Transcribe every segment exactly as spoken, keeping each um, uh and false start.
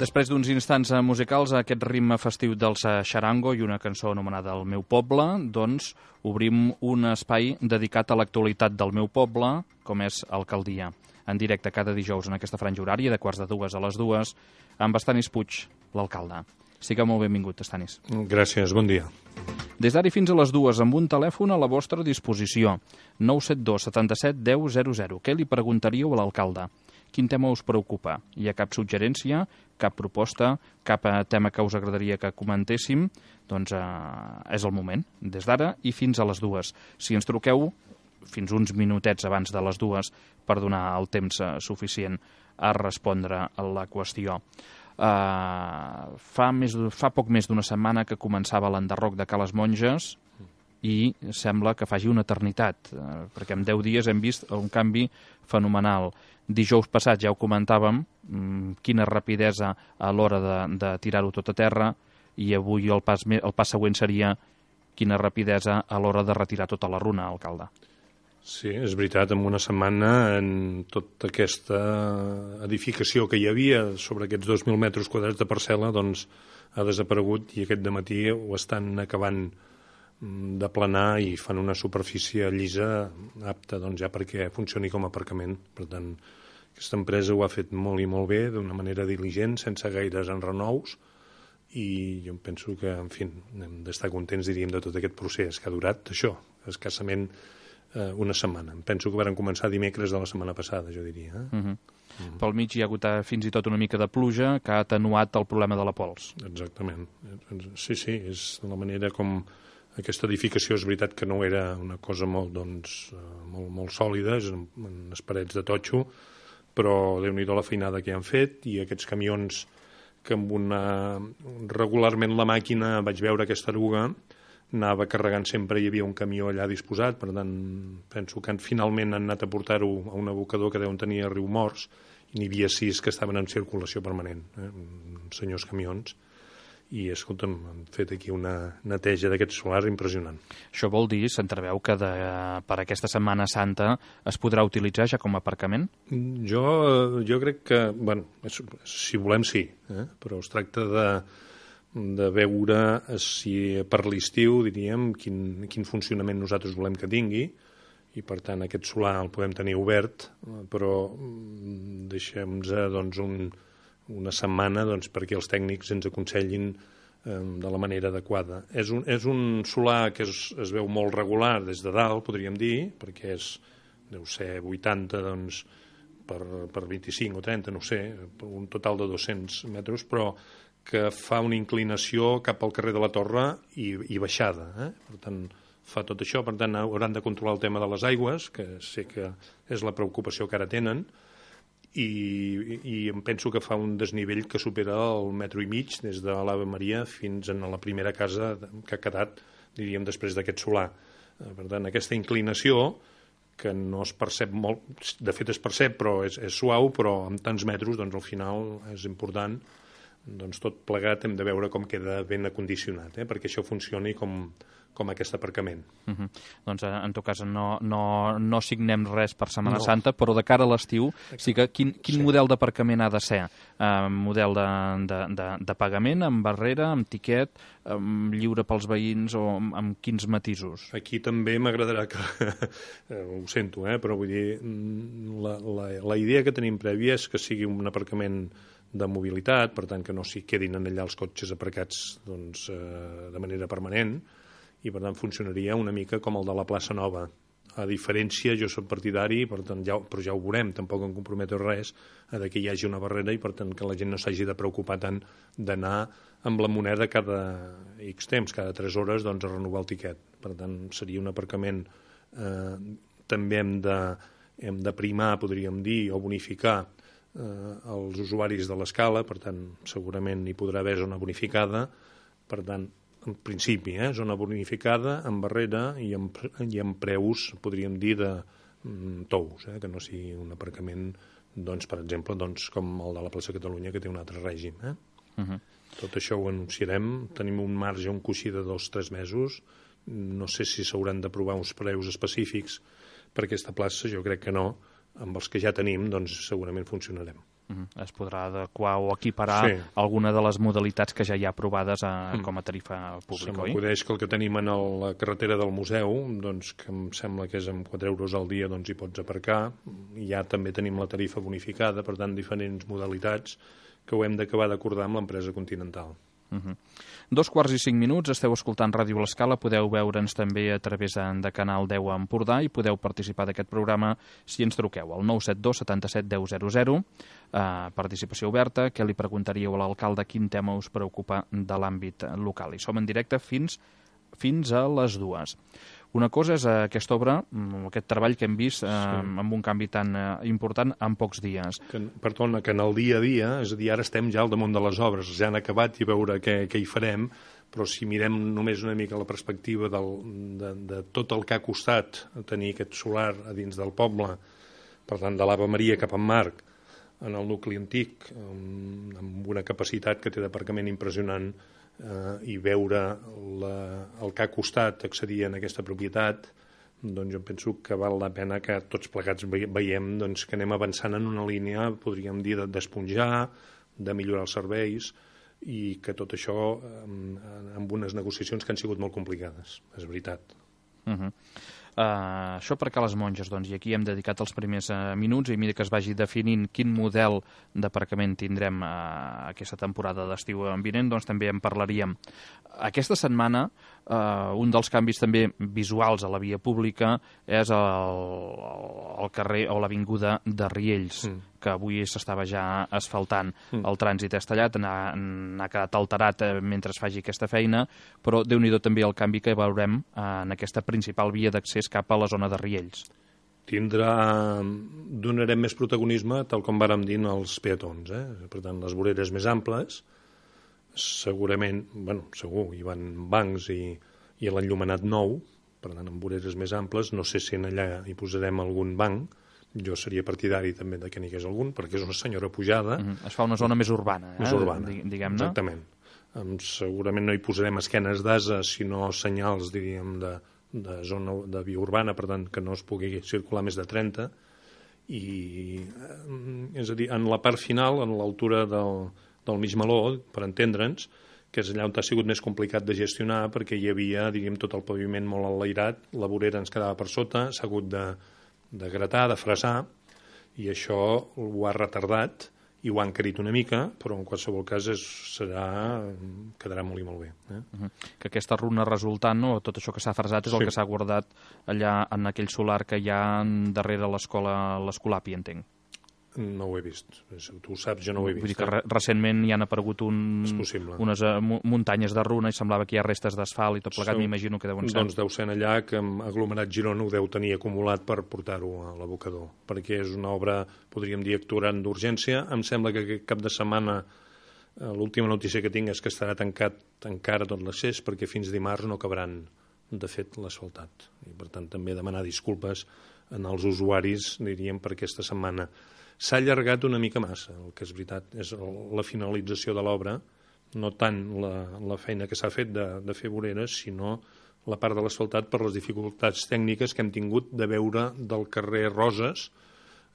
Després d'uns instants musicals, aquest ritme festiu dels Xarango i una cançó anomenada El meu poble, doncs obrim un espai dedicat a l'actualitat del meu poble, com és Alcaldia. En directe cada dijous en aquesta franja horària, de quarts de dues a les dues, amb Estanis Puig, l'alcalde. Siga molt benvingut, Estanis. Gràcies, bon dia. Des d'ara fins a les dues, amb un telèfon a la vostra disposició. nou set dos setanta set deu zero zero. Què li preguntaríeu a l'alcalde? Quin tema us preocupa? Hi ha cap suggerència, cap proposta, cap tema que us agradaria que comentéssim? Doncs eh, és el moment, des d'ara i fins a les dues. Si ens truqueu fins uns minutets abans de les dues per donar el temps eh, suficient a respondre a la qüestió. Uh, fa, més, fa poc més d'una setmana que començava l'enderroc de Cales Monges i sembla que faci una eternitat, uh, perquè en deu dies hem vist un canvi fenomenal. Dijous passat ja ho comentàvem, um, quina rapidesa a l'hora de, de tirar-ho tot a terra, i avui el pas, el pas següent seria quina rapidesa a l'hora de retirar tota la runa, alcalde. Sí, és veritat, en una setmana en tota aquesta edificació que hi havia sobre aquests dos mil metres quadrats de parcel·la doncs ha desaparegut i aquest dematí ho estan acabant de planar i fan una superfície llisa apta doncs, ja perquè funcioni com a aparcament. Per tant, aquesta empresa ho ha fet molt i molt bé, d'una manera diligent, sense gaires enrenous, i jo penso que, en fi, hem d'estar contents, diríem, de tot aquest procés que ha durat això, escassament una setmana. Penso que varen començar dimecres de la setmana passada, jo diria. Eh? Uh -huh. Uh -huh. Pel mig hi ha hagut fins i tot una mica de pluja que ha atenuat el problema de la pols. Exactament. Sí, sí, és la manera com aquesta edificació, és veritat que no era una cosa molt, doncs, molt, molt sòlida, és en unes parets de totxo, però déu-n'hi-do la feinada que han fet, i aquests camions que amb una... regularment la màquina, vaig veure aquesta eruga, anava carregant sempre, hi havia un camió allà disposat, per tant, penso que finalment han anat a portar-ho a un abocador que deuen tenir a Riumors, i n'hi havia sis que estaven en circulació permanent, eh? Senyors camions, i, escolta'm, han fet aquí una neteja d'aquest solar impressionant. Això vol dir, s'entreveu, que de, per aquesta Setmana Santa es podrà utilitzar ja com a aparcament? Jo, jo crec que, bueno, si volem sí, eh? Però es tracta de de veure si per l'estiu, diríem, quin, quin funcionament nosaltres volem que tingui, i per tant aquest solar el podem tenir obert, però deixem-nos doncs, un, una setmana doncs, perquè els tècnics ens aconsellin eh, de la manera adequada. És un, és un solar que es, es veu molt regular des de dalt, podríem dir, perquè és, deu ser vuitanta doncs, per, per vint-i-cinc o trenta, no sé, un total de dos-cents metres, però que fa una inclinació cap al carrer de la Torre i, i baixada. Eh? Per tant, fa tot això. Per tant, hauran de controlar el tema de les aigües, que sé que és la preocupació que ara tenen, i, i em penso que fa un desnivell que supera el metro i mig des de l'Ave Maria fins a la primera casa que ha quedat, diríem, després d'aquest solar. Per tant, aquesta inclinació, que no es percep molt, de fet es percep, però és, és suau, però amb tants metres, doncs al final és important. Doncs tot plegat hem de veure com queda ben acondicionat, eh? Perquè això funcioni com, com aquest aparcament. Uh -huh. Doncs en tot cas no, no, no signem res per Setmana no. Santa, però de cara a l'estiu, sí que quin, quin sí. model d'aparcament ha de ser? Uh, model de, de, de, de pagament, amb barrera, amb tiquet, um, lliure pels veïns, o amb, amb quins matisos? Aquí també m'agradarà que... ho sento, eh? Però vull dir, la, la, la idea que tenim prèvia és que sigui un aparcament de mobilitat, per tant que no s'hi quedin allà els cotxes aparcats doncs, eh, de manera permanent, i per tant funcionaria una mica com el de la plaça Nova. A diferència, jo soc partidari, per tant, ja, però ja ho veurem, tampoc em comprometo res, a que hi hagi una barrera i per tant que la gent no s'hagi de preocupar tant d'anar amb la moneda cada X temps, cada tres hores, doncs, a renovar el tiquet. Per tant, seria un aparcament, eh, també hem de, hem de primar, podríem dir, o bonificar eh, els usuaris de l'escala, per tant, segurament hi podrà haver zona bonificada, per tant, en principi, eh, zona bonificada, amb barrera i amb, i amb preus, podríem dir, de mm, tous, eh, que no sigui un aparcament, doncs, per exemple, doncs, com el de la plaça Catalunya, que té un altre règim. Eh? Uh -huh. Tot això ho anunciarem, tenim un marge, un coixí de dos o tres mesos, no sé si s'hauran d'aprovar uns preus específics per aquesta plaça, jo crec que no, amb els que ja tenim, doncs segurament funcionarem. Es podrà adequar o equiparar sí. alguna de les modalitats que ja hi ha aprovades a, com a tarifa pública, oi? Se m'acudeix que el que tenim en el, la carretera del museu, doncs, que em sembla que és amb quatre euros al dia, doncs hi pots aparcar. I ja també tenim la tarifa bonificada, per tant, diferents modalitats que ho hem d'acabar d'acordar amb l'empresa Continental. Uh -huh. Dos quarts i cinc minuts, esteu escoltant Ràdio L'Escala, podeu veure'ns també a través de Canal deu a Empordà i podeu participar d'aquest programa si ens truqueu al nou set dos setanta-set deu zero zero, eh, participació oberta, que li preguntaríeu a l'alcalde quin tema us preocupa de l'àmbit local. I som en directe fins, fins a les dues. Una cosa és aquesta obra, aquest treball que hem vist eh, sí. amb un canvi tan eh, important en pocs dies. Que, perdona, que en el dia a dia, és a dir, ara estem ja al damunt de les obres, ja han acabat i veure què, què hi farem, però si mirem només una mica la perspectiva del, de, de tot el que ha costat tenir aquest solar a dins del poble, per tant, de l'Ave Maria cap en Marc, en el nucli antic, amb, amb una capacitat que té d'aparcament impressionant, eh, i veure la, el que ha costat accedir en aquesta propietat, doncs jo penso que val la pena que tots plegats veiem doncs, que anem avançant en una línia, podríem dir, d'esponjar, de millorar els serveis, i que tot això amb, amb unes negociacions que han sigut molt complicades, és veritat. Uh-huh. Uh, això per Cales Monges, doncs, i aquí hem dedicat els primers uh, minuts, i a mesura que es vagi definint quin model d'aparcament tindrem uh, aquesta temporada d'estiu vinent, doncs també en parlaríem. Aquesta setmana, uh, un dels canvis també visuals a la via pública és el, el carrer o l'avinguda de Riells, mm. que avui s'estava ja asfaltant. Mm. El trànsit és tallat, n'ha quedat alterat eh, mentre es faci aquesta feina, però Déu-n'hi-do també el canvi que veurem eh, en aquesta principal via d'accés cap a la zona de Riells. Tindrà, donarem més protagonisme, tal com vàrem dir, als peatons. Eh? Per tant, les voreres més amples, segurament, bueno, segur, hi van bancs i, i l'enllumenat nou, per tant, amb voreres més amples, no sé si en allà hi posarem algun banc. Jo seria partidari també de que n'hi hagués algun, perquè és una senyora pujada. Mm-hmm. Es fa una zona més urbana, eh? Més urbana, diguem-ne. Exactament. Um, segurament no hi posarem esquenes d'asa, sinó senyals, diríem, de, de zona de via urbana, per tant, que no es pugui circular més de trenta. I, és a dir, en la part final, en l'altura del, del mig meló, per entendre'ns, que és allà on ha sigut més complicat de gestionar, perquè hi havia, diríem, tot el paviment molt enlairat, la vorera ens quedava per sota, s'ha hagut de de gratar, de fresar, i això ho ha retardat i ho ha encarit una mica, però en qualsevol cas és, serà, quedarà molt i molt bé. Eh? Uh-huh. Que aquesta runa resultant, no, tot això que s'ha fresat, és sí. el que s'ha guardat allà en aquell solar que hi ha darrere l'escola, l'Escolapi, entenc. No ho he vist. Tu ho saps, jo no ho he vist. Vull dir que re recentment hi han aparegut un, unes uh, muntanyes de runa i semblava que hi ha restes d'asfalt i tot plegat, m'imagino que deuen ser. Doncs deu ser allà que aglomerat Girona ho deu tenir acumulat per portar-ho a l'abocador, perquè és una obra, podríem dir, actuant d'urgència. Em sembla que aquest cap de setmana l'última notícia que tinc és que estarà tancat encara tot l'accés, perquè fins dimarts no acabaran, de fet, l'asfaltat. I, per tant, també demanar disculpes als usuaris, diríem, per aquesta setmana. S'ha allargat una mica massa, el que és veritat, és la finalització de l'obra, no tant la, la feina que s'ha fet de, de fer voreres, sinó la part de l'asfaltat per les dificultats tècniques que hem tingut de veure del carrer Roses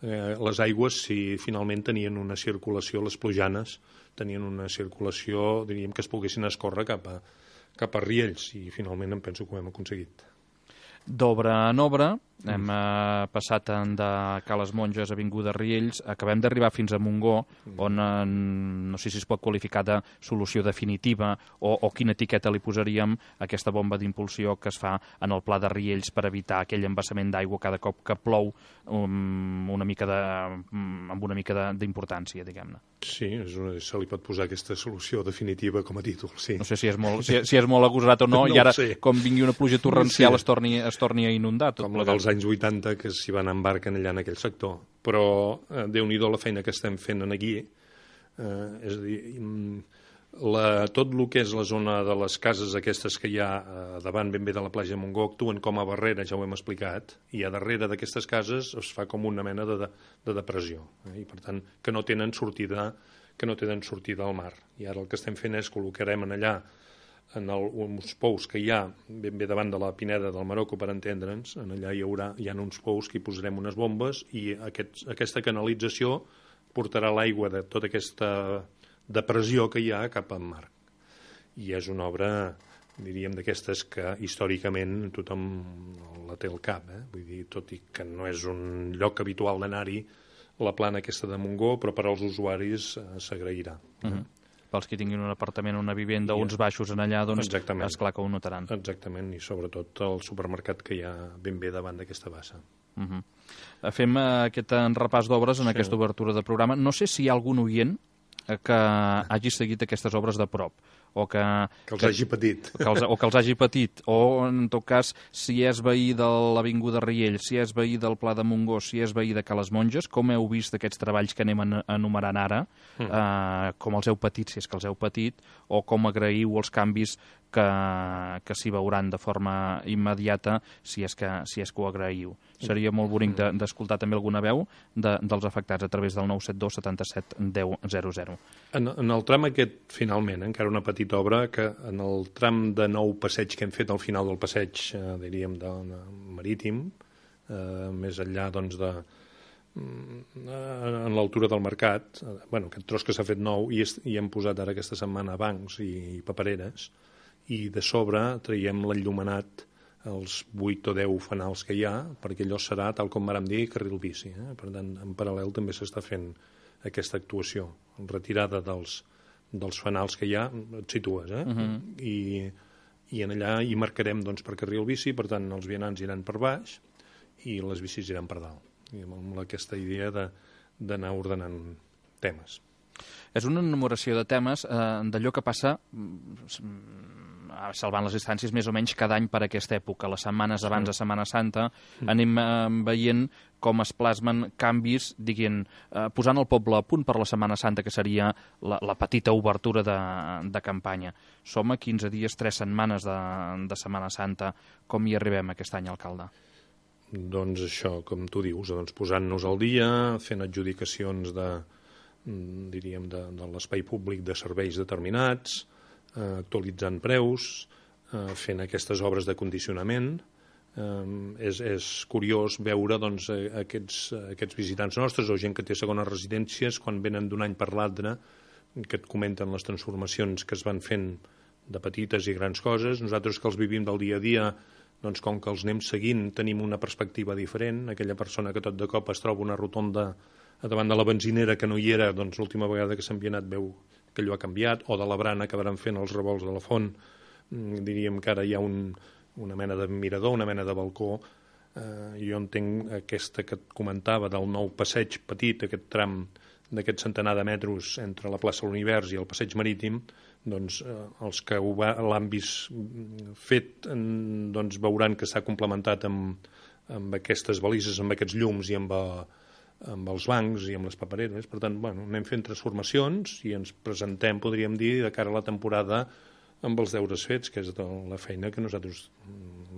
eh, les aigües, si finalment tenien una circulació, les plujanes tenien una circulació, diríem, que es poguessin escórrer cap a, cap a Riells, i finalment em penso que ho hem aconseguit. D'obra en obra, hem eh, passat de Cales Monges, avinguda Riells, acabem d'arribar fins a Montgó, on eh, no sé si es pot qualificar de solució definitiva o, o quina etiqueta li posaríem a aquesta bomba d'impulsió que es fa en el pla de Riells per evitar aquell embassament d'aigua cada cop que plou um, una mica de, um, amb una mica d'importància, diguem-ne. Sí, és una, se li pot posar aquesta solució definitiva com a títol, sí. No sé si és molt, si, si és molt agosarat o no, no i ara, com vingui una pluja torrencial, sí. es, torni, es torni a inundar. Tot com la dels anys vuitanta, que s'hi van embarcar allà en aquell sector. Però eh, Déu-n'hi-do la feina que estem fent aquí. Eh, és a dir, la, tot el que és la zona de les cases aquestes que hi ha eh, davant ben bé de la platja de Montgó actuen com a barrera, ja ho hem explicat, i a darrere d'aquestes cases es fa com una mena de, de, de depressió. Eh? I per tant, que no tenen sortida que no tenen sortida al mar. I ara el que estem fent és col·locarem en allà en el, uns pous que hi ha ben bé davant de la Pineda del Marocco, per entendre'ns, en allà hi haurà hi ha uns pous que hi posarem unes bombes i aquest, aquesta canalització transportarà l'aigua de tota aquesta depressió que hi ha cap al mar. I és una obra, diríem, d'aquestes que històricament tothom la té al cap, eh? Vull dir, tot i que no és un lloc habitual d'anar-hi, la plana aquesta de Montgó, però per als usuaris eh, s'agrairà. Uh-huh. Pels que tinguin un apartament, una vivenda, I, uns baixos en allà, doncs és clar que ho notaran. Exactament, i sobretot el supermercat que hi ha ben bé davant d'aquesta bassa. Uh-huh. Fem aquest repàs d'obres en sí. aquesta obertura de programa. No sé si hi ha algun oient que hagi seguit aquestes obres de prop, o que... Que els que, hagi patit. Que els, o que els hagi patit, o en tot cas, si és veí de l'Avinguda Riell, si és veí del Pla de Montgó, si és veí de Cales Monges, com heu vist aquests treballs que anem enumerant ara, mm. eh, com els heu patit, si és que els heu patit, o com agraïu els canvis que, que s'hi veuran de forma immediata, si és que, si és que ho agraïu. Seria molt bonic d'escoltar de, també alguna veu de, dels afectats a través del nou set dos setanta-set deu zero zero. En, en el tram aquest, finalment, encara una petita obra, que en el tram de nou passeig que hem fet al final del passeig, eh, diríem, de, de marítim, eh, més enllà, doncs, de en l'altura del mercat, eh, bueno, aquest tros que s'ha fet nou, i, és, i hem posat ara aquesta setmana bancs i, i papereres, i de sobre traiem l'enllumenat, els vuit o deu fanals que hi ha, perquè allò serà, tal com vàrem dir, carril bici. Eh? Per tant, en paral·lel també s'està fent aquesta actuació, retirada dels, dels fanals que hi ha, et situes, eh? Uh-huh. I, i en allà hi marcarem, doncs, per carril bici, per tant, els vianants iran per baix i les bicis iran per dalt. I amb aquesta idea d'anar ordenant temes. És una enumeració de temes eh, d'allò que passa salvant les distàncies més o menys cada any per aquesta època. Les setmanes abans de Setmana Santa anem eh, veient com es plasmen canvis, diguem, eh, posant el poble a punt per la Setmana Santa, que seria la, la petita obertura de, de campanya. Som a quinze dies, tres setmanes de, de Setmana Santa. Com hi arribem aquest any, alcalde? Doncs això, com tu dius, doncs posant-nos al dia, fent adjudicacions de, diríem, de, de l'espai públic de serveis determinats, eh, actualitzant preus, eh, fent aquestes obres de condicionament. Eh, és, és curiós veure, doncs, aquests, aquests visitants nostres o gent que té segones residències, quan venen d'un any per l'altre, que et comenten les transformacions que es van fent de petites i grans coses. Nosaltres que els vivim del dia a dia, doncs, com que els anem seguint, tenim una perspectiva diferent. Aquella persona que tot de cop es troba una rotonda davant de la benzinera que no hi era, doncs l'última vegada que s'ha enviat veu que allò ha canviat, o de la brana que van fent els revolts de la font, diríem que ara hi ha un, una mena de mirador, una mena de balcó. Eh, jo entenc aquesta que et comentava del nou passeig petit, aquest tram d'aquest centenar de metres entre la plaça de l'Univers i el passeig marítim, doncs eh, els que l'han vist fet doncs veuran que s'ha complementat amb, amb aquestes balises, amb aquests llums i amb, a, amb els bancs i amb les papereres. Per tant, bueno, anem fent transformacions i ens presentem, podríem dir, de cara a la temporada amb els deures fets, que és la feina que nosaltres,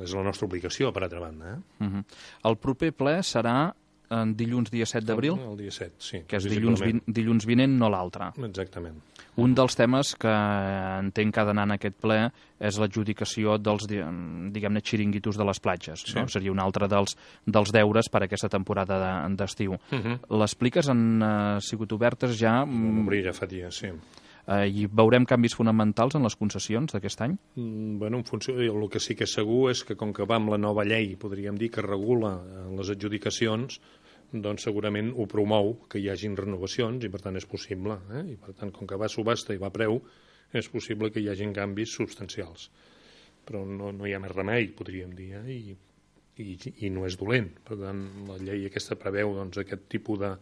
és la nostra obligació, per altra banda. Eh? Uh-huh. El proper ple serà en dilluns dia set d'abril? El, el dia set, sí. Que és dilluns, vi, dilluns vinent, no l'altre. Exactament. Un dels temes que entenc que ha d'anar en aquest ple és l'adjudicació dels, diguem-ne, xiringuitos de les platges. Sí. No? Seria un altre dels, dels deures per a aquesta temporada d'estiu. De, uh-huh. Les pliques han uh, sigut obertes ja... Obrir ja fa dies, sí. Uh, I veurem canvis fonamentals en les concessions d'aquest any? Mm, bueno, en funció, el que sí que és segur és que com que va amb la nova llei, podríem dir, que regula les adjudicacions, doncs segurament ho promou que hi hagin renovacions i per tant és possible. Eh? I per tant, com que va a subhasta i va a preu, és possible que hi hagin canvis substancials. Però no, no hi ha més remei, podríem dir, eh? I, i, i no és dolent. Per tant, la llei aquesta preveu doncs, aquest tipus de,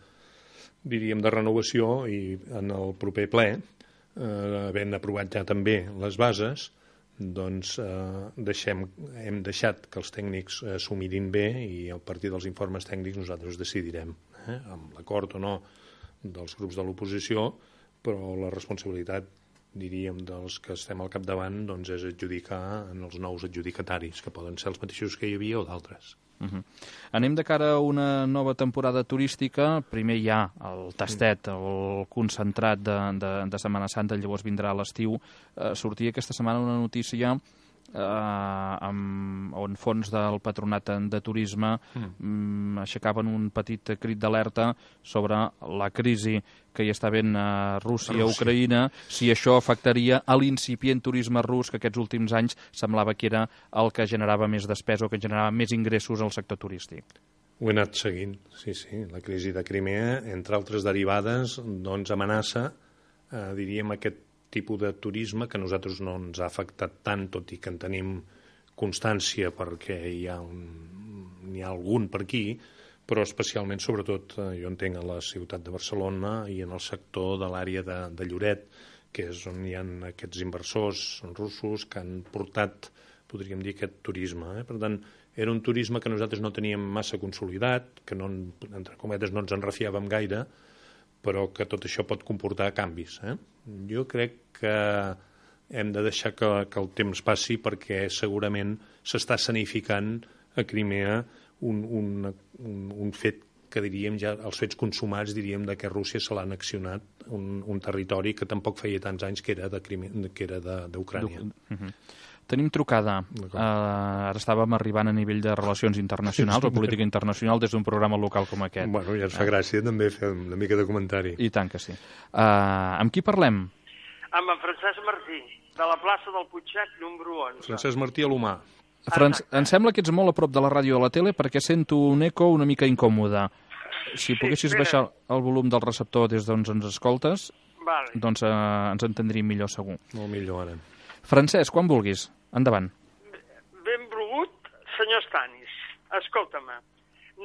diríem, de renovació i en el proper ple, eh, havent aprovat ja també les bases, doncs eh, deixem, hem deixat que els tècnics eh, s'ho mirin bé i a partir dels informes tècnics nosaltres decidirem, eh, amb l'acord o no dels grups de l'oposició, però la responsabilitat, diríem, dels que estem al capdavant doncs és adjudicar en els nous adjudicataris, que poden ser els mateixos que hi havia o d'altres. Uh-huh. Anem de cara a una nova temporada turística. Primer hi ha el tastet, el concentrat de, de, de Setmana Santa, llavors vindrà l'estiu. Eh, sortia aquesta setmana una notícia eh, amb, on fons del Patronat de Turisme mm. aixecaven un petit crit d'alerta sobre la crisi que hi està havent a Rússia, a Ucraïna, si això afectaria a l'incipient turisme rus, que aquests últims anys semblava que era el que generava més despesa o que generava més ingressos al sector turístic. Ho he anat seguint, sí, sí. La crisi de Crimea, entre altres derivades, doncs amenaça, eh, diríem, aquest tipus de turisme que a nosaltres no ens ha afectat tant, tot i que en tenim constància perquè hi ha, un, n'hi ha algun per aquí, però especialment, sobretot, jo entenc a la ciutat de Barcelona i en el sector de l'àrea de, de Lloret, que és on hi ha aquests inversors russos que han portat, podríem dir, aquest turisme. Eh? Per tant, era un turisme que nosaltres no teníem massa consolidat, que no, entre cometes no ens en refiàvem gaire, però que tot això pot comportar canvis. Eh? Jo crec que hem de deixar que, que el temps passi perquè segurament s'està escenificant a Crimea Un, un, un, un fet que diríem ja, els fets consumats diríem de que Rússia se l'ha annexionat un, un territori que tampoc feia tants anys que era de Crimea, que era d'Ucrània. Uh-huh. Tenim trucada. Uh, ara estàvem arribant a nivell de relacions internacionals o política internacional des d'un programa local com aquest. Bueno, ja ens fa uh. gràcia també fer una mica de comentari. I tant que sí. Uh, amb qui parlem? Amb en Francesc Martí, de la plaça del Putxet, número onze. Francesc Martí a l'Humà. Franç, em sembla que ets molt a prop de la ràdio o de la tele perquè sento un eco una mica incòmode. Si poguessis sí, baixar el volum del receptor des d'on ens escoltes, vale. doncs eh, ens entendríem millor segur. Molt millor ara. Francesc, quan vulguis. Endavant. Benvolgut, senyor Stanis. Escolta-me,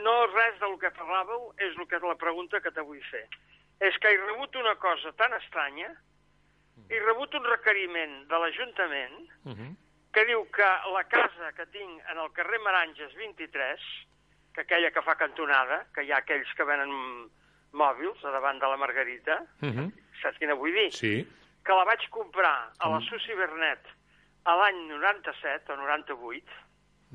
no res del que parlàveu és el que és la pregunta que te vull fer. És que he rebut una cosa tan estranya, he rebut un requeriment de l'Ajuntament uh-huh. que diu que la casa que tinc en el carrer Meranges vint-i-tres, que aquella que fa cantonada, que hi ha aquells que venen mòbils a davant de la Margarita, uh-huh. saps quina vull dir? Sí. Que la vaig comprar a la Susi Bernet a l'any noranta-set o noranta-vuit,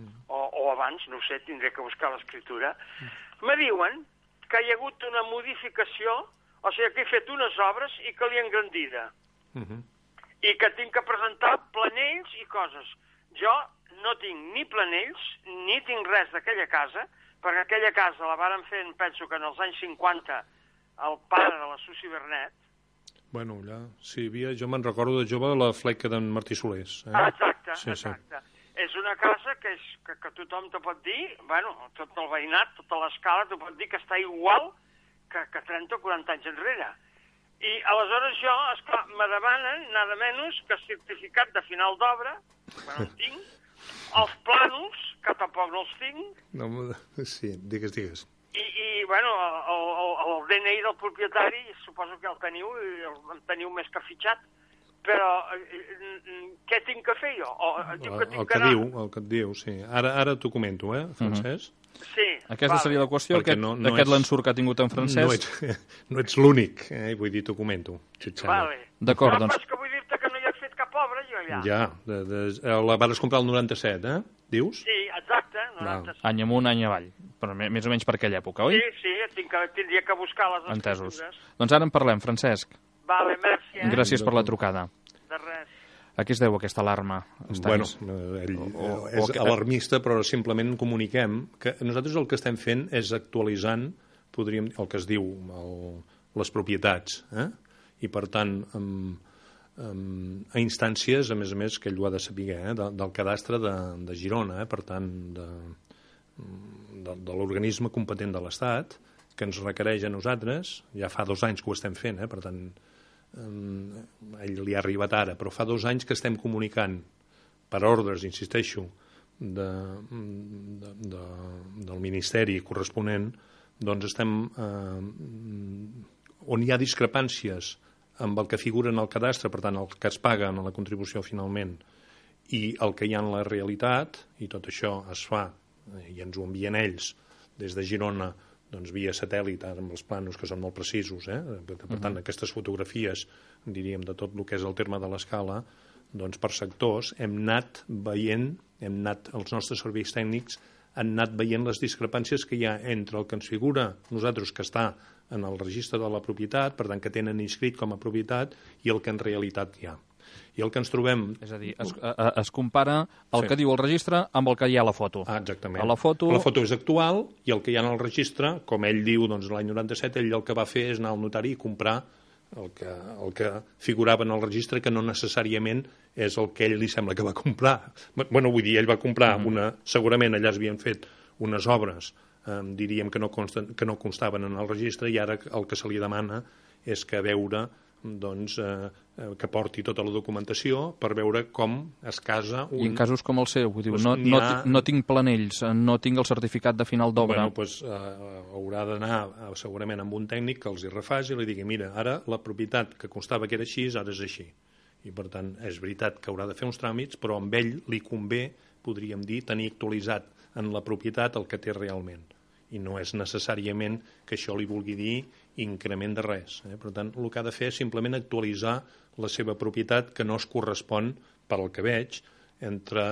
uh-huh. o, o abans, no ho sé, tindré que buscar l'escriptura, uh-huh. me diuen que hi ha hagut una modificació, o sigui que he fet unes obres i que l'he engrandida. Uh-huh. I que tinc que presentar planells i coses. Jo no tinc ni planells, ni tinc res d'aquella casa, perquè aquella casa la varen fer, penso que en els anys cinquanta, el pare de la Susi Bernet. Bueno, allà, sí, havia, jo me'n recordo de jove la fleca d'en Martí Solés. Eh? Exacte, sí, exacte. Sí. És una casa que, és, que, que tothom te pot dir, bueno, tot el veïnat, tota l'escala, te pot dir que està igual que, que trenta o quaranta anys enrere. I aleshores jo, esclar, me demanen nada menys que certificat de final d'obra, que no el tinc, els plànols, que tampoc no els tinc. No, sí, digues, digues. I, i bueno, el, el, el D N I del propietari, suposo que el teniu, el teniu més que fitxat, però què tinc que fer jo? O, diu que tinc el, que que anar... diu, el que et diu, sí. Ara, ara t'ho comento, eh, Francesc? Uh-huh. Sí, aquesta vale. Seria la qüestió, aquest, no, no aquest l'ensurt que ha tingut en Francesc. No ets, no ets l'únic, eh? Vull dir, t'ho comento. Si vale. D'acord, no, doncs... És que vull dir-te que no hi has fet cap obra, jo allà. Ja, de, de, la vas comprar el noranta-set, eh? Dius? Sí, exacte, noranta-set. Any amunt, any avall, però més o menys per aquella època, oi? Sí, sí, tinc que, tindria que buscar les Entesos. escriptures. Doncs ara en parlem, Francesc. Vale, merci. Eh? Gràcies per la trucada. De res. A què es deu aquesta alarma? Bueno, ell o, o, és o, alarmista, però simplement comuniquem que nosaltres el que estem fent és actualitzant, podríem, el que es diu el, les propietats, eh? I per tant, amb, amb, a instàncies, a més a més, que ell ho ha de saber, eh? de, del cadastre de, de Girona, eh? Per tant, de, de, de l'organisme competent de l'Estat, que ens requereix a nosaltres, ja fa dos anys que ho estem fent, eh? Per tant, Um, ell li ha arribat ara, però fa dos anys que estem comunicant per ordres, insisteixo, de, de, de, del Ministeri corresponent, doncs estem eh, on hi ha discrepàncies amb el que figura en el cadastre, per tant el que es paga en la contribució finalment i el que hi ha en la realitat, i tot això es fa i ens ho envien ells des de Girona, doncs via satèl·lit, ara amb els planos que són molt precisos, eh? Per tant, uh-huh. aquestes fotografies, diríem, de tot el que és el terme de l'escala, doncs per sectors hem anat veient, hem anat, els nostres serveis tècnics han anat veient les discrepàncies que hi ha entre el que ens figura nosaltres que està en el registre de la propietat, per tant que tenen inscrit com a propietat, i el que en realitat hi ha. I el que ens trobem... És a dir, es, a, es compara el Sí. que diu el registre amb el que hi ha a la foto. Ah, exactament. A la foto... La foto és actual i el que hi ha en el registre, com ell diu, doncs l'any noranta-set, ell el que va fer és anar al notari i comprar el que, el que figurava en el registre, que no necessàriament és el que ell li sembla que va comprar. Bueno, vull dir, ell va comprar mm. una... Segurament allà es havien fet unes obres, eh, diríem que no, consten, que no constaven en el registre, i ara el que se li demana és que veure, doncs, eh, que porti tota la documentació per veure com es casa un... I en casos com el seu, vull dir, Pues no, n'hi no, ha- no tinc planells, no tinc el certificat de final d'obra. Bueno, doncs, eh, haurà d'anar eh, segurament amb un tècnic que els hi refaci i li digui, mira, ara la propietat que constava que era així, ara és així. I per tant, és veritat que haurà de fer uns tràmits, però amb ell li convé, podríem dir, tenir actualitzat en la propietat el que té realment. I no és necessàriament que això li vulgui dir increment de res. Eh? Per tant, el que ha de fer és simplement actualitzar la seva propietat, que no es correspon, per al que veig, entre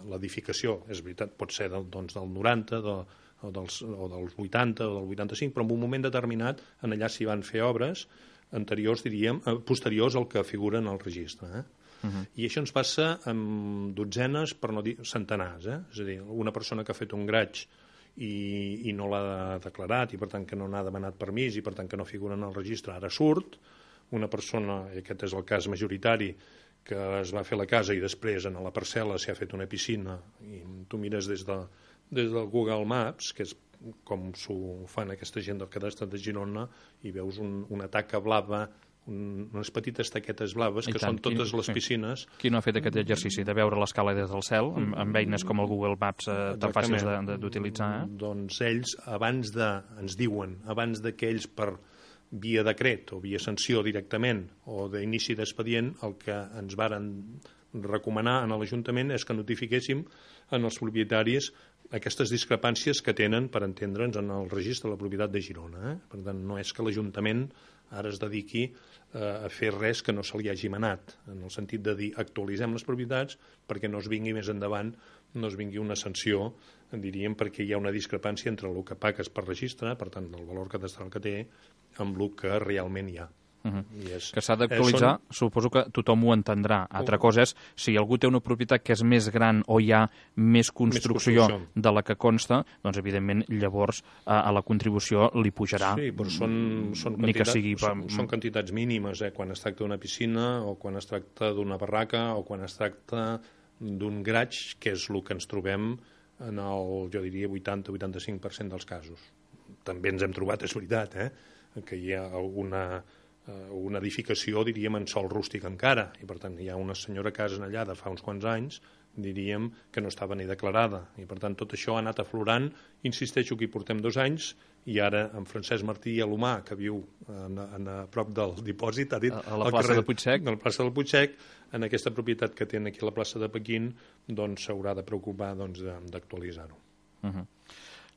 l'edificació. És veritat, pot ser del, doncs, del noranta, de, o, dels, o dels vuitanta, o del vuitanta-cinc, però en un moment determinat, en allà s'hi van fer obres anteriors, diríem, eh, posteriors al que figura en el registre. Eh? Uh-huh. I això ens passa amb dotzenes, per no dir centenars. Eh? És a dir, una persona que ha fet un graig i, i no l'ha declarat, i per tant que no n'ha demanat permís, i per tant que no figura en el registre, ara surt. Una persona, i aquest és el cas majoritari, que es va fer la casa i després en la parcel·la s'hi ha fet una piscina, i tu mires des, de, des del Google Maps, que és com s'ho fan aquesta gent del cadastre de Girona, i veus un, una taca blava, un, unes petites taquetes blaves, I que tant, són totes qui, les sí. piscines. Qui no ha fet aquest exercici de veure l'escala des del cel, amb, amb eines com el Google Maps eh, tan fàcils de- de- d'utilitzar? Eh? Doncs ells, abans de, ens diuen, abans de que ells per via decret o via sanció directament o d'inici d'expedient, el que ens varen recomanar a l'Ajuntament és que notifiquéssim en els propietaris aquestes discrepàncies que tenen, per entendre'ns, en el registre de la propietat de Girona. Eh? Per tant, no és que l'Ajuntament ara es dediqui eh, a fer res que no se li hagi manat, en el sentit de dir actualitzem les propietats perquè no es vingui més endavant, no es vingui una sanció, diríem, perquè hi ha una discrepància entre el que pagues per registre, per tant, el valor cadastral que té, amb el que realment hi ha. Uh-huh. I és, Que s'ha d'actualitzar, eh, suposo que tothom ho entendrà. Altra cosa és, si algú té una propietat que és més gran o hi ha més construcció, construcció. de la que consta, doncs evidentment llavors a, a la contribució li pujarà. Sí, però són, són, Ni que quantitats, sigui per- són, són quantitats mínimes, eh? Quan es tracta d'una piscina o quan es tracta d'una barraca o quan es tracta d'un graig, que és el que ens trobem en el, jo diria, vuitanta a vuitanta-cinc per cent dels casos. També ens hem trobat, és veritat, eh? que hi ha alguna una edificació, diríem, en sol rústic encara, i per tant hi ha una senyora casa allà de fa uns quants anys, diríem, que no estava ni declarada, i per tant tot això ha anat aflorant. Insisteixo que hi portem dos anys, i ara en Francesc Martí i Alomà, que viu en, en, a prop del dipòsit, ha dit... A, a la plaça de Puigsec. A la plaça del Puigsec, en aquesta propietat que tenen aquí a la plaça de Pequín, doncs s'haurà de preocupar doncs, d'actualitzar-ho. Uh-huh.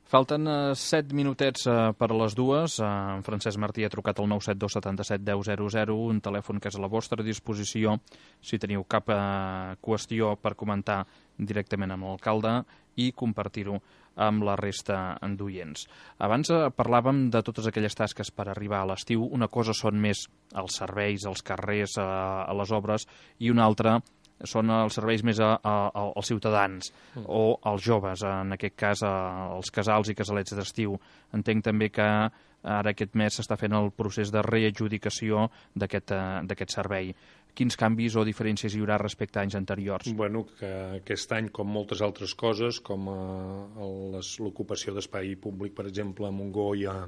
Falten uh, set minutets uh, per a les dues. Uh, en Francesc Martí ha trucat al nou set dos set set deu zero zero, un telèfon que és a la vostra disposició si teniu cap uh, qüestió per comentar directament amb l'alcalde i compartir-ho amb la resta d'oients. Abans uh, parlàvem de totes aquelles tasques per arribar a l'estiu. Una cosa són més els serveis, els carrers, uh, a les obres, i una altra són els serveis més a, a, a, als ciutadans mm. o als joves, en aquest cas a, als casals i casalets d'estiu. Entenc també que ara aquest mes s'està fent el procés de readjudicació d'aquest uh, servei. Quins canvis o diferències hi haurà respecte a anys anteriors? Bueno, que aquest any, com moltes altres coses, com uh, l'ocupació d'espai públic, per exemple, a Montgó i a,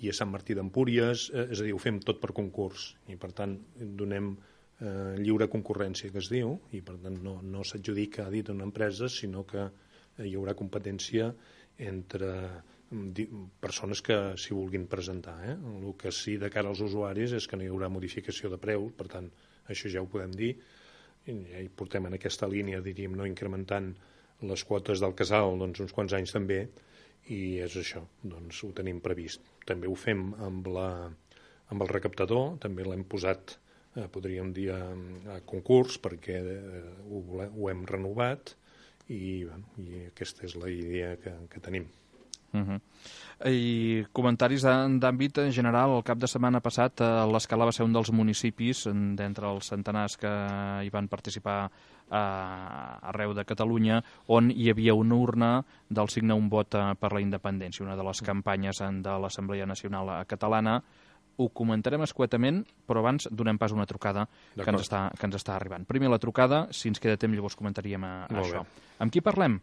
i a Sant Martí d'Empúries, eh, és a dir, ho fem tot per concurs, i per tant donem Eh, lliure concurrència, que es diu, i per tant no, no s'adjudica a dit una empresa, sinó que eh, hi haurà competència entre di, persones que s'hi vulguin presentar. Eh? El que sí de cara als usuaris és que no hi haurà modificació de preu, per tant, això ja ho podem dir, i ja hi portem en aquesta línia, diríem, no incrementant les quotes del casal doncs, uns quants anys també, i és això, doncs ho tenim previst. També ho fem amb, la, amb el recaptador, també l'hem posat podríem dir a, a concurs perquè eh, ho, ho hem renovat i, bueno, i aquesta és la idea que, que tenim. Uh-huh. I comentaris d'àmbit general. El cap de setmana passat l'Escala va ser un dels municipis d'entre els centenars que hi van participar arreu de Catalunya on hi havia una urna del Signa un vot per la independència, una de les campanyes de l'Assemblea Nacional Catalana. Ho comentarem escuetament, però abans donem pas una trucada que ens, està, que ens està arribant. Primer la trucada, si ens queda temps llavors comentaríem a, a això. Amb qui parlem?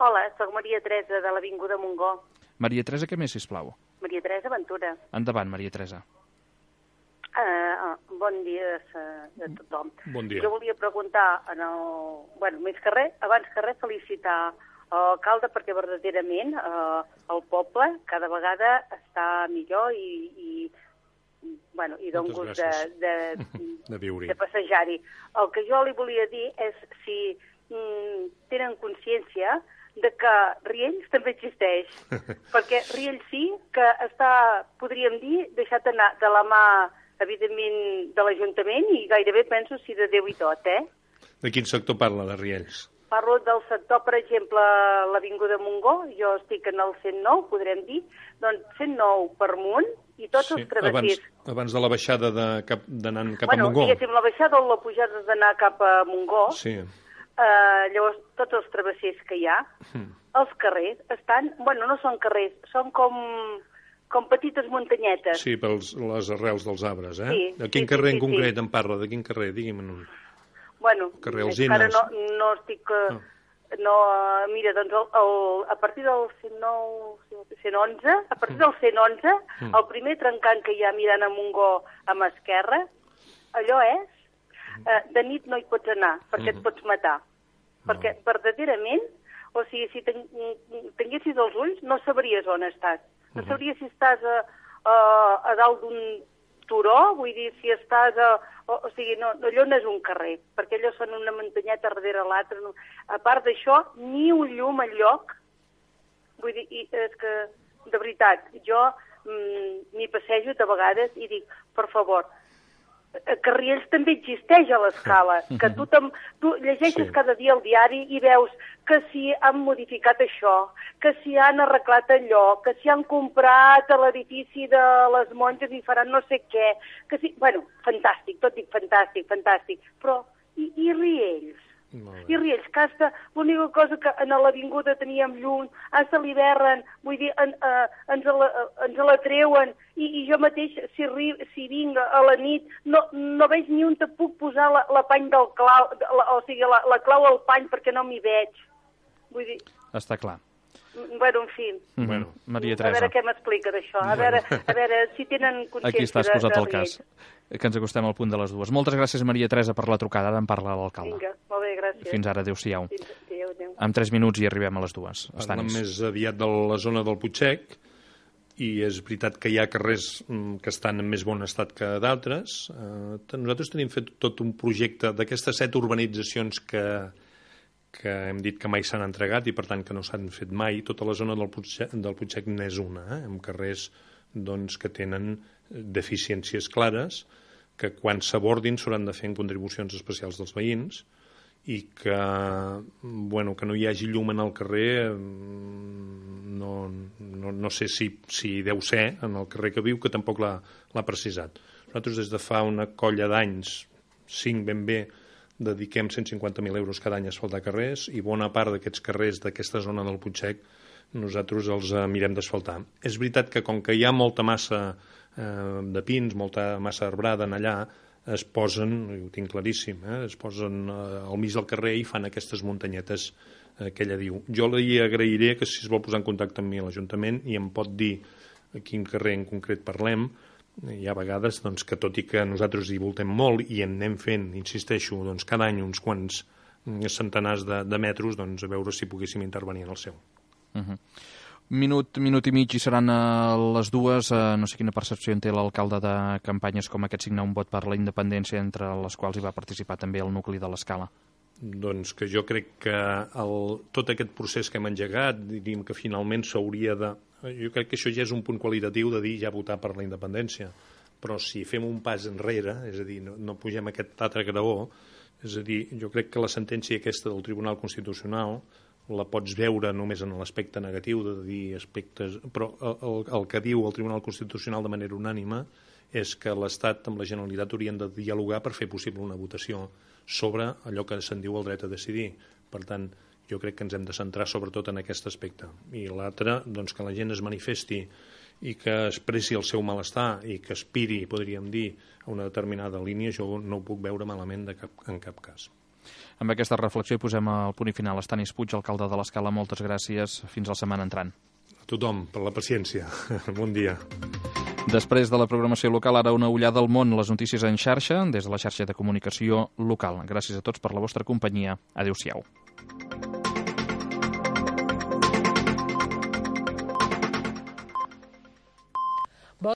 Hola, soc Maria Teresa de l'Avinguda Montgó. Maria Teresa, què més, sisplau? Maria Teresa Ventura. Endavant, Maria Teresa. Uh, bon dia a, a tothom. Bon dia. Jo volia preguntar, en el, bueno, més que res, abans que res, felicitar l'alcalde perquè verdaderament uh, el poble cada vegada està millor i, i, bueno, i d'un gust de, de, de, viure. de passejar-hi. El que jo li volia dir és si mm, tenen consciència de que Riells també existeix, perquè Riells sí que està, podríem dir, deixat anar de la mà, evidentment, de l'Ajuntament i gairebé penso si de Déu i tot, eh? De quin sector parla, de Riells? Parlo del sector, per exemple, l'Avinguda Montgó, jo estic en el cent nou, podrem dir, doncs cent nou per amunt i tots sí, els travessers. Abans, abans de la baixada d'anar cap bueno, a Montgó. Bueno, diguéssim, la baixada o la pujada d'anar cap a Montgó, sí. Uh, llavors, tots els travessers que hi ha, mm. els carrers estan... Bueno, no són carrers, són com, com petites muntanyetes. Sí, per les arrels dels arbres, eh? Sí, de quin sí, carrer sí, en concret sí. en parla? De quin carrer? Digui'm un... Bueno, carrer encara Alzines. no, no estic... Uh, oh. no, uh, mira, doncs el, el, a partir del cent nou, cent onze, a partir del cent onze, mm. el primer trencant que hi ha mirant a Montgó a mà esquerra, allò és... Uh, de nit no hi pots anar, perquè mm-hmm. et pots matar. No. Perquè verdaderament, o sigui, si ten, tinguessis els ulls, no sabries on estàs. No sabries si estàs a, a, a dalt d'un turó, vull dir, si estàs a... O, o sigui, no, allò no és un carrer, perquè allò són una muntanyeta darrere l'altra. No. A part d'això, ni un llum al lloc. Vull dir, i és que, de veritat, jo m'hi passejo de vegades i dic, per favor, que Riells també existeix a l'Escala, que tu, tu llegeixes sí. cada dia el diari i veus que si han modificat això, que si han arreglat allò, que si han comprat l'edifici de les monges i faran no sé què, que si... Bueno, fantàstic, tot dic fantàstic, fantàstic, però i, i Riells? I Riells, que hasta l'única cosa que en l'avinguda teníem llum, hasta l'hivern, vull dir, en, uh, ens, la, ens la treuen, i, i jo mateix, si, ri, si vinc a la nit, no, no veig ni on te puc posar la, la pany del clau, la, o sigui, la, la clau al pany perquè no m'hi veig. Vull dir... Està clar. Bueno, en fi. Mm-hmm. Bueno, Maria Teresa. A veure què m'explica d'això. A veure, a veure si tenen consciència Aquí estàs de, posat de el cas, que ens acostem al punt de les dues. Moltes gràcies, Maria Teresa, per la trucada. Ara en parla l'alcalde. Vinga, molt bé, gràcies. Fins ara, adéu-siau. Adéu, adéu. En tres minuts hi arribem a les dues. Parlem més aviat de la zona del Putxec, i és veritat que hi ha carrers que estan en més bon estat que d'altres. Eh, nosaltres tenim fet tot un projecte d'aquestes set urbanitzacions que... que hem dit que mai s'han entregat i per tant que no s'han fet mai. Tota la zona del Putxec, del Putxec n'és una, eh? amb carrers doncs, que tenen deficiències clares, que quan s'abordin s'hauran de fer en contribucions especials dels veïns i que, bueno, que no hi hagi llum en el carrer no, no, no sé si, si deu ser en el carrer que viu, que tampoc l'ha precisat. Nosaltres des de fa una colla d'anys, cinc ben bé, dediquem cent cinquanta mil euros cada any a asfaltar carrers i bona part d'aquests carrers d'aquesta zona del Putxec nosaltres els eh, mirem d'asfaltar. És veritat que com que hi ha molta massa eh, de pins, molta massa arbrada en allà, es posen, ho tinc claríssim, eh, es posen eh, al mig del carrer i fan aquestes muntanyetes eh, que ella diu. Jo li agrairé que si es vol posar en contacte amb mi a l'Ajuntament i em pot dir a quin carrer en concret parlem. Hi ha vegades doncs, que tot i que nosaltres hi voltem molt i en anem fent, insisteixo, doncs, cada any uns quants centenars de, de metres, doncs, a veure si poguéssim intervenir en el seu. Uh-huh. Minut, minut i mig i seran a les dues. Uh, no sé quina percepció en té l'alcalde de campanyes com aquest signar un vot per la independència, entre les quals hi va participar també el nucli de l'Escala. Doncs que jo crec que el, tot aquest procés que hem engegat, diríem que finalment s'hauria de... Jo crec que això ja és un punt qualitatiu de dir ja votar per la independència, però si fem un pas enrere, és a dir, no, no pugem aquest altre graó, és a dir, jo crec que la sentència aquesta del Tribunal Constitucional la pots veure només en l'aspecte negatiu, de dir aspectes... Però el, el que diu el Tribunal Constitucional de manera unànime és que l'Estat amb la Generalitat haurien de dialogar per fer possible una votació sobre allò que se'n diu el dret a decidir. Per tant, jo crec que ens hem de centrar sobretot en aquest aspecte. I l'altre, doncs, que la gent es manifesti i que expressi el seu malestar i que aspiri, podríem dir, a una determinada línia, jo no ho puc veure malament de cap, en cap cas. Amb aquesta reflexió hi posem el punt i final. Estanis Puig, alcalde de l'Escala, moltes gràcies. Fins la setmana entrant. A tothom, per la paciència. Bon dia. Després de la programació local, ara una ullada al món, les notícies en xarxa, des de la xarxa de comunicació local. Gràcies a tots per la vostra companyia. Adéu-siau.